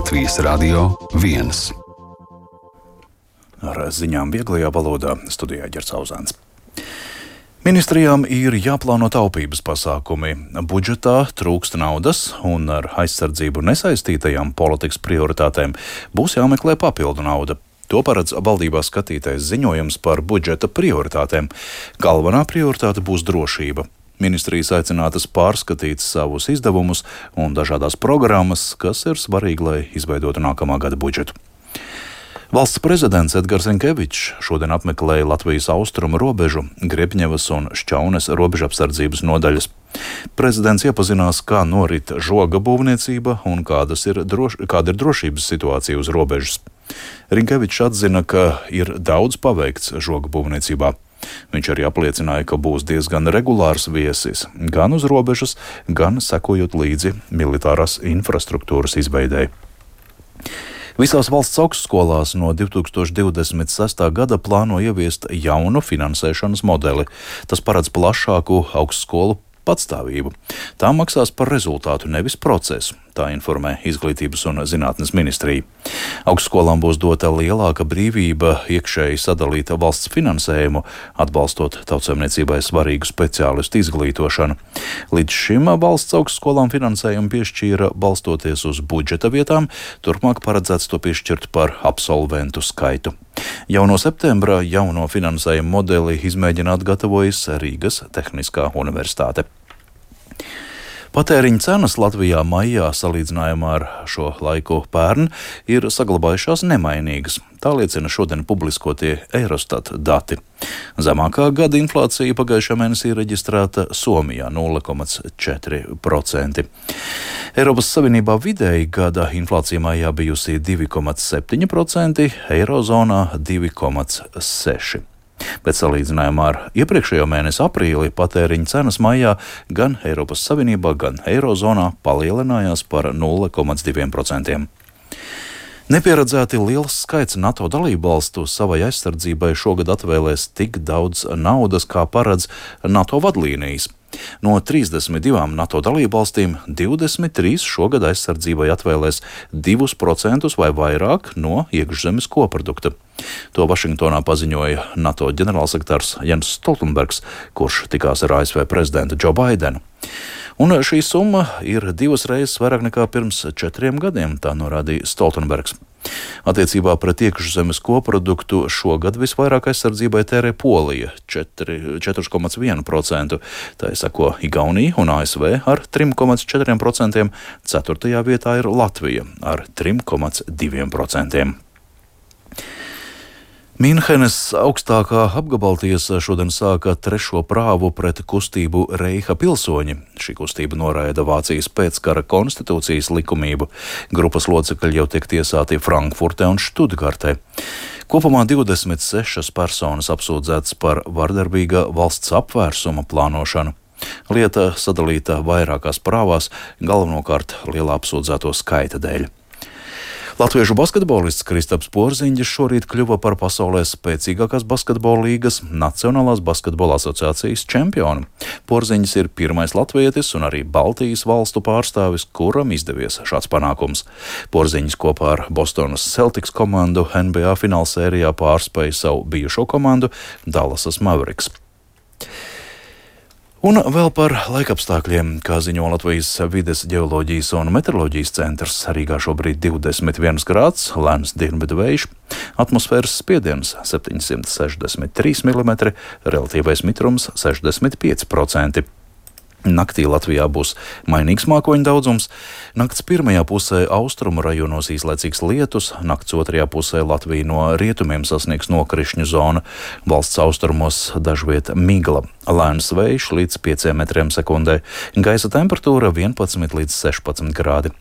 Latvijas Radio 1. Ar ziņām vieglajā valodā studijā Ģerts Auzāns. Ministrijām ir jāplāno taupības pasākumi. Budžetā trūkst naudas un ar aizsardzību nesaistītajām politikas prioritātēm būs jāmeklē papildu nauda. To paredz valdībā skatītais ziņojums par budžeta prioritātēm. Galvenā prioritāte būs drošība. Ministrijas aicinātas pārskatīt savus izdevumus un dažādās programmas, kas ir svarīgi, lai izveidotu nākamā gada budžetu. Valsts prezidents Edgars Rinkevičs šodien apmeklēja Latvijas austrumu robežu, Griebņevas un Šķaunes robežapsardzības nodaļas. Prezidents iepazinās, kā norit žoga būvniecība un kāda ir drošības situācija uz robežas. Rinkevičs atzina, ka ir daudz paveikts žoga būvniecībā. Viņš arī apliecināja, ka būs diezgan regulārs viesis gan uz robežas, gan sekojot līdzi militārās infrastruktūras izveidei. Visās valsts augstskolās no 2026. gada plāno ieviest jaunu finansēšanas modeli. Tas paredz plašāku augstskolu patstāvību. Tā maksās par rezultātu, nevis procesu, tā informē Izglītības un zinātnes ministrija. Augstskolām būs dota lielāka brīvība iekšēji sadalīt valsts finansējumu, atbalstot tautsaimniecībai svarīgu speciālistu izglītošanu. Līdz šim valsts augstskolām finansējumu piešķīra balstoties uz budžeta vietām, turpmāk paredzēts to piešķirt par absolventu skaitu. Jau no septembra jauno finansējumu modeli izmēģināt gatavojas Rīgas Tehniskā universitāte. Patēriņa cenas Latvijā maijā salīdzinājumā ar šo laiku pērn ir saglabājušās nemainīgas. Tā liecina šodien publiskotie Eurostat dati. Zemākā gada inflācija pagājušā mēnesī reģistrēta Somijā 0,4%. Eiropas Savienībā vidēji gada inflācija maijā bijusi 2,7%, Eirozonā 2,6%. Bet salīdzinājumā ar iepriekšējo mēnesi aprīli patēriņa cenas maijā gan Eiropas Savienībā, gan Eirozonā palielinājās par 0,2%. Nepieredzēti liels skaits NATO dalībvalstu savai aizsardzībai šogad atvēlēs tik daudz naudas, kā paredz NATO vadlīnijas. No 32 NATO dalībvalstīm 23 šogad aizsardzībai atvēlēs 2% vai vairāk no iekšzemes koprodukta. To Vašingtonā paziņoja NATO ģenerālsekretārs Jens Stoltenbergs, kurš tikās ar ASV prezidentu Džo Baidenu. Un šī summa ir 2 reizes vairāk nekā pirms 4 gadiem, tā norādīja Stoltenbergs. Attiecībā pret iekšzemes koproduktu šogad visvairāk aizsardzībai tērē Polija 4,1%, tā seko Igaunija un ASV ar 3,4%, 4. vietā ir Latvija ar 3,2%. Minhenes augstākā apgabaltiesa šodien sāka 3. prāvu pret kustību Reiha pilsoņi. Šī kustība noraida Vācijas pēckara konstitūcijas likumību. Grupas locekļi jau tiek tiesāti Frankfurtē un Štutgartē. Kopumā 26 personas apsūdzētas par vardarbīga valsts apvērsuma plānošanu. Lieta sadalīta vairākās prāvās, galvenokārt lielā apsūdzēto skaita dēļ. Latviešu basketbolists Kristaps Porziņģis šorīt kļuva par pasaulē spēcīgākās basketbola līgas Nacionālās basketbola asociācijas čempionu. Porziņģis ir pirmais latvietis un arī Baltijas valstu pārstāvis, kuram izdevies šāds panākums. Porziņģis kopā ar Bostonas Celtics komandu NBA finālsērijā pārspēja savu bijušo komandu Dallasas Mavericks. Un vēl par laikapstākļiem, kā ziņo Latvijas vides ģeoloģijas un meteoroloģijas centrs. Rīgā šobrīd 21 grāds, lēns dienvidu vējš, atmosfēras spiediens 763 mm, relatīvais mitrums 65%. Naktī Latvijā būs mainīgs mākoņu daudzums. Nakts pirmajā pusē austrumu rajonos īslaicīgs lietus, nakts otrajā pusē Latviju no rietumiem sasniegs nokrišņu zona, valsts austrumos dažviet migla, lēns vējš līdz 5 metriem sekundē, gaisa temperatūra 11 līdz 16 grādi.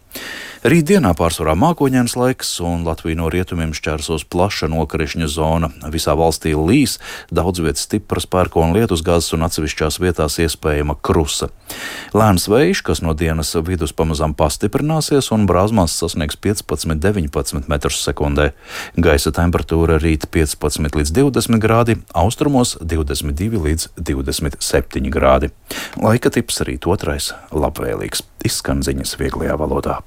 Rītdienā pārsvarā mākoņains laiks un Latviju no rietumiem šķērsos plaša nokrišņu zona. Visā valstī līs, daudz vietas stipras pērkona lietusgāzes un atsevišķās vietās iespējama krusa. Lēns vējš, kas no dienas vidus pamazām pastiprināsies un brāzmās sasniegs 15–19 metrus sekundē. Gaisa temperatūra rīt 15 līdz 20 grādi, austrumos 22 līdz 27 grādi. Laika tips rīt 2. labvēlīgs. Izskan ziņas vieglajā valodā.